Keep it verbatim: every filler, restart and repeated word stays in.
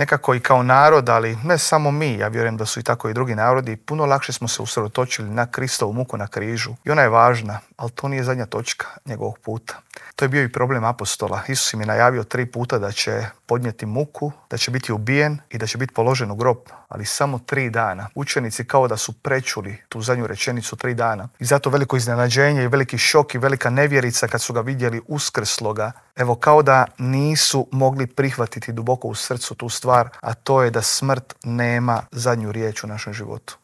nekako i kao narod, ali ne samo mi, ja vjerujem da su i tako i drugi narodi, puno lakše smo se usredotočili na Kristovu muku na križu. I ona je važna, ali to nije zadnja točka njegovog puta. To je bio i problem apostola. Isus im je najavio tri puta da će podnijeti muku, da će biti ubijen i da će biti položen u grob, ali samo tri dana. Učenici kao da su prečuli tu zadnju rečenicu tri dana. I zato veliko iznenađenje i veliki šok i velika nevjerica kad su ga vidjeli uskrsloga. Evo, kao da nisu mogli prihvatiti duboko u srcu tu stvar, a to je da smrt nema zadnju riječ u našem životu.